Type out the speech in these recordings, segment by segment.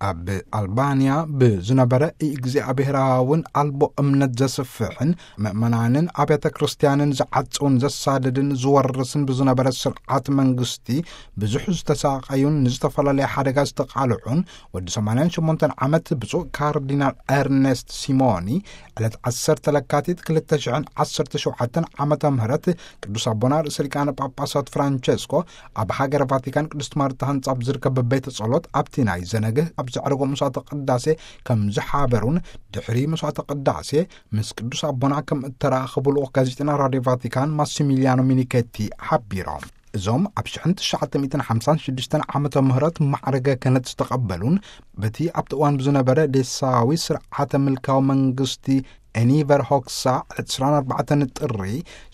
ኣብ ኣልባንያ ብዝነበረ እግዚኣብሔራውን ኣልቦ እምነት ዘስፍሕን ምእመናንን ኣብያተ ክርስቲያንን ዝዓጽውን ዘሳድድን ዝወርስን ብዝነበረ ስርዓት መንግስቲ ብዙሕ ዝተሳቐዩን ንዝተፈላለየ ሓደጋ ዝተቓልዑን ወዲ ሰማንያን ሸሞንተን ዓመት ብፁዕ ካርዲናል ኤርኔስት ሲሞኒ ዕለት ዓሰርተ ለካቲት ክልተ ሽሕን ዓሰርተ ሸውዓተን ዓመተ ምህረት ቅዱስ ኣቦና ርእሰ ሊቃነ ጳጳሳት ፍራንቸስኮ ኣብ ሃገረ ቫቲካን ቅድስት ማርታ ህንጻ ኣብ ዝርከብ ቤተ ጸሎት ኣብቲ ናይ ዘነግህ ኣብ ዘዕረጎ መስዋዕተ ቅዳሴ ከም ዝሓበሩን ድሕሪ መስዋዕተ ቅዳሴ ምስ ቅዱስ ኣቦና ከም እተራኸቡ ልኡኽ ጋዜጠና ራድዮ ቫቲካን ማሲሚሊያኖ ሚኒኬቲ ሓቢሮም። እዞም ኣብ ሽሕን ትሽዓተ ሚእትን ሓምሳን ሽዱሽተን ዓመተ ምህረት ማዕረገ ክህነት ዝተቐበሉን በቲ ኣብቲ እዋን ብዝነበረ ዴሳዊ ስርዓተ ምልካዊ መንግስቲ ኤኒቨር ሆክሳ ዕስራን ኣርባዕተን ጥሪ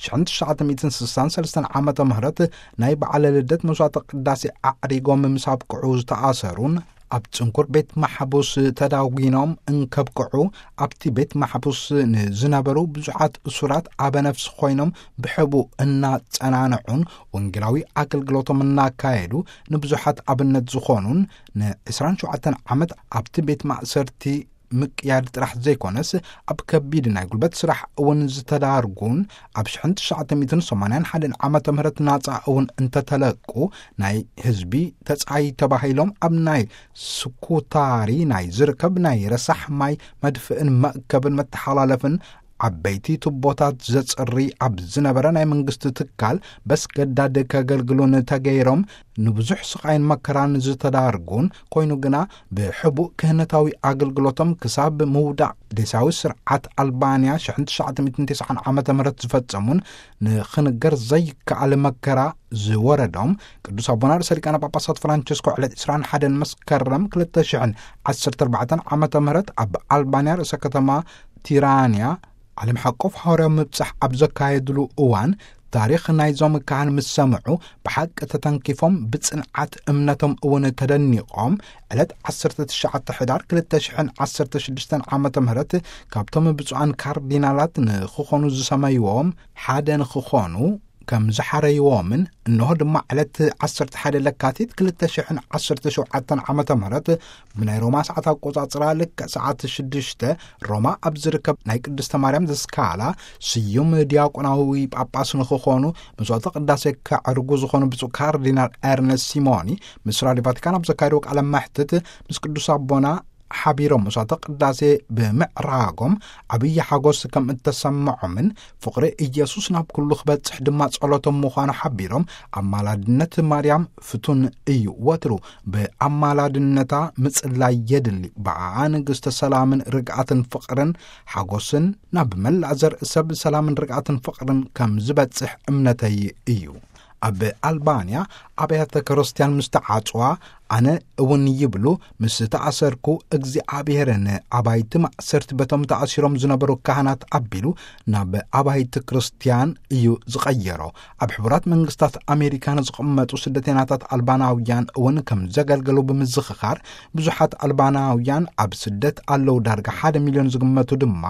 ሽሕን ትሽዓተ ሚእትን ስሳን ሰለስተን ዓመተ ምህረት ናይ በዓለ ልደት መስዋዕተ ቅዳሴ ኣዕሪጎም ምስ ኣብቅዑ ዝተኣሰሩን ኣብ ጽንኩር ቤት ማሕቡስ ተዳጒኖም እንከብቅዑ ኣብቲ ቤት ማሕቡስ ንዝነበሩ ብዙሓት እሱራት ኣበ ነፍሲ ኮይኖም ብሕቡእ እናጸናንዑን ወንጌላዊ ኣገልግሎቶም እናካየዱ ንብዙሓት ኣብነት ዝኾኑን ንዕስራን ሸውዓተን ዓመት ኣብቲ ቤት ማእሰርቲ ምቅያድ ጥራሕ ዘይኮነስ ኣብ ከቢድ ናይ ጉልበት ስራሕ እውን ዝተዳርጉን ኣብ ሽሕን ትሽዓተ ሚእትን ሰማንያን ሓደን ዓመተ ምህረት ናጻ እውን እንተተለቁ ናይ ህዝቢ ተጻይ ተባሂሎም ኣብ ናይ ስኩታሪ ናይ ዝርከብ ናይ ረሳሕ ማይ መድፍእን መእከብን መተሓላለፍን ዓበይቲ ቱቦታት ዘጽሪ ኣብ ዝነበረ ናይ መንግስቲ ትካል በስገዳድ ከገልግሉን ተገይሮም ንብዙሕ ስቓይን መከራን ዝተዳርጉን ኮይኑ ግና ብሕቡእ ክህነታዊ ኣገልግሎቶም ክሳብ ምውዳእ ዴሳዊ ስርዓት ኣልባንያ ሽሕን ትሽዓተ ሚእትን ተስዓን ዓመተ ምህረት ዝፈጸሙን ንኽንገር ዘይከኣል መከራ ዝወረዶም ቅዱስ ኣቦና ርእሰ ሊቃነ ጳጳሳት ፍራንቸስኮ ዕለት ዕስራን ሓደን መስከረም ክልተ ሽሕን ዓሰርተ ኣርባዕተን ዓመተ ምህረት ኣብ ኣልባንያ ርእሰ ከተማ ቲራንያ ዓለም ሓቆፍ ሃዋርያዊ ምብጻሕ ኣብ ዘካየድሉ እዋን ታሪኽ ናይዞም ካህን ምስ ሰምዑ ብሓቂ ተተንኪፎም ብጽንዓት እምነቶም እውን ተደኒቖም ዕለት ዓሰርተ ትሽዓተ ሕዳር ክልተ ሽሕን ዓሰርተ ሽዱሽተን ዓመተ ምህረት ካብቶም ብፁዓን ካርዲናላት ንኽኾኑ ዝሰመይዎም ሓደ ንኽኾኑ ከም ዝሓረይዎምን እንሆ ድማ ዕለት ዓሰርተ ሓደ ለካቲት ክልተ ሽሕን ዓሰርተ ሸውዓተን ዓመተ ምህረት ብናይ ሮማ ሰዓት ኣቆጻጽራ ልክዕ ሰዓት ሽዱሽተ ሮማ ኣብ ዝርከብ ናይ ቅድስተ ማርያም ዘስካላ ስዩም ዲያቆናዊ ጳጳስ ንኽኾኑ መስዋዕተ ቅዳሴ ከዕርጉ ዝኾኑ ብፁዕ ካርዲናል ኤርነስት ሲሞኒ ምስ ራድዮ ቫቲካን ኣብ ዘካየድዎ ቃለ መሕትት ምስ ቅዱስ ኣቦና ሓቢሮም መስዋዕተ ቅዳሴ ብምዕራጎም ዓብዪ ሓጎስ ከም እተሰምዖምን ፍቕሪ ኢየሱስ ናብ ኩሉ ክበጽሕ ድማ ጸሎቶም ምዃኑ ሓቢሮም ኣማላድነት ማርያም ፍቱን እዩ። ወትሩ ብኣማላድነታ ምጽላይ የድሊ። ብኣኣ ንግስተ ሰላምን ርግኣትን ፍቕርን ሓጎስን ናብ መላእ ዘርኢ ሰብ ሰላምን ርግኣትን ፍቕርን ከም ዝበጽሕ እምነተይ እዩ። ኣብ ኣልባንያ ኣብያተ ክርስቲያን ምስ ተዓጽዋ ኣነ እውን ይብሉ ምስ ተኣሰርኩ እግዚኣብሔር ንኣባይቲ ማእሰርቲ በቶም ተኣሲሮም ዝነበሩ ካህናት ኣቢሉ ናብ ኣባይቲ ክርስቲያን እዩ ዝቐየሮ። ኣብ ሕቡራት መንግስታት ኣሜሪካ ንዝቕመጡ ስደተናታት ኣልባናውያን እውን ከም ዘገልገሉ ብምዝኽኻር ብዙሓት ኣልባናውያን ኣብ ስደት ኣለዉ። ዳርጋ ሓደ ሚልዮን ዝግመቱ ድማ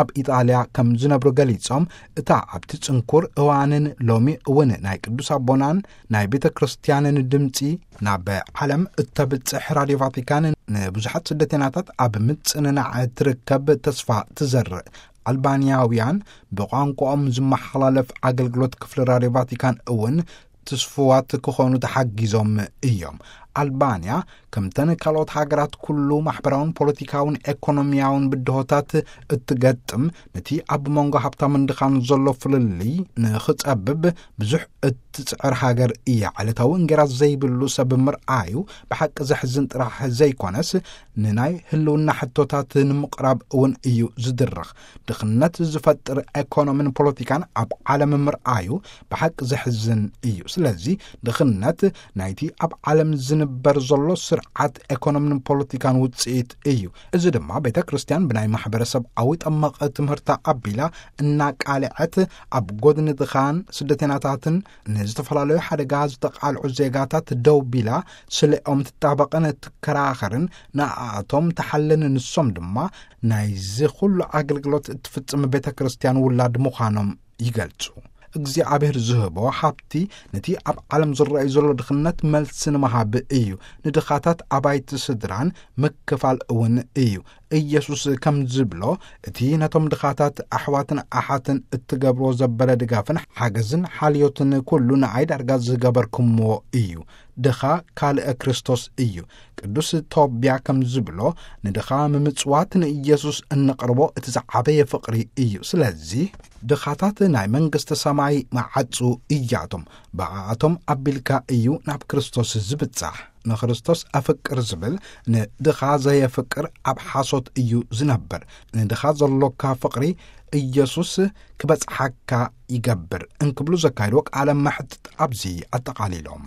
ኣብ ኢጣልያ ከም ዝነብሩ ገሊጾም እታ ኣብቲ ጽንኩር እዋንን ሎሚ እውን ናይ ቅዱስ ኣቦናን ናይ ቤተ ክርስቲያንን ድምጺ ናብ ዓለም እተብጽሕ ራድዮ ቫቲካን ንብዙሓት ስደተናታት ኣብ ምጽንናዕ ትርከብ ተስፋ ትዘርእ። ኣልባንያውያን ብቋንቋኦም ዝመሓላለፍ ኣገልግሎት ክፍሊ ራድዮ ቫቲካን እውን ትስፉዋት ክኾኑ ተሓጊዞም እዮም። ኣልባንያ ከምተን ካልኦት ሃገራት ኩሉ ማሕበራውን ፖለቲካውን ኤኮኖሚያውን ብድሆታት እትገጥም ነቲ ኣብ መንጎ ሃብታምን ድኻን ዘሎ ፍልልይ ንኽጸብብ ብዙሕ እትጽዕር ሃገር እያ። ዕለታዊ እንጌራ ዘይብሉ ሰብ ምርኣዩ ብሓቂ ዘሕዝን ጥራሕ ዘይኮነስ ንናይ ህልውና ሕቶታት ንምቕራብ እውን እዩ ዝድርኽ። ድኽነት ዝፈጥር ኤኮኖምን ፖለቲካን ኣብ ዓለም ምርኣዩ ብሓቂ ዘሕዝን እዩ። ስለዚ ድኽነት ናይቲ ኣብ ዓለም ዝንበር ዘሎ ስርዓት ኤኮኖምን ፖለቲካን ውጽኢት እዩ። እዚ ድማ ቤተ ክርስቲያን ብናይ ማሕበረሰብኣዊ ጠመቐ ትምህርታ ኣቢላ እናቃልዐት ኣብ ጎድኒ ድኻን ስደተናታትን ንዝተፈላለዩ ሓደጋ ዝተቓልዑ ዜጋታት ደው ቢላ ስለኦም ትጣበቕን ትከራኸርን ንኣቶም ተሓልን ንሶም ድማ ናይዚ ኩሉ ኣገልግሎት እትፍጽም ቤተ ክርስቲያን ውላድ ምዃኖም ይገልጹ። እግዚኣብሔር ዝህቦ ሃብቲ ነቲ ኣብ ዓለም ዝረኣዩ ዘሎ ድኽነት መልሲ ንምሃብ እዩ። ንድኻታት ኣባይቲ ስድራን ምክፋል እውን እዩ። ኢየሱስ ከም ዝብሎ፣ እቲ ነቶም ድኻታት ኣሕዋትን ኣሓትን እትገብርዎ ዘበለ ድጋፍን ሓገዝን ሓልዮትን ኩሉ ንዓይ ዳርጋ ዝገበርኩምዎ እዩ። ድኻ ካልእ ክርስቶስ እዩ። ቅዱስ ቶብያ ከም ዝብሎ፣ ንድኻ ምምጽዋት ንኢየሱስ እንቕርቦ እቲ ዝዓበየ ፍቕሪ እዩ። ስለዚ ድኻታት ናይ መንግስቲ ሰማይ መዓጹ እያቶም። ብኣኣቶም ኣቢልካ እዩ ናብ ክርስቶስ ዝብጻሕ። ንክርስቶስ ኣፍቅር ዝብል ንድኻ ዘየፍቅር ኣብ ሓሶት እዩ ዝነብር። ንድኻ ዘሎካ ፍቕሪ ኢየሱስ ክበጽሓካ ይገብር እንክብሉ ዘካይድዎ ቃለ መሕትት ኣብዚ ኣጠቓሊሎም።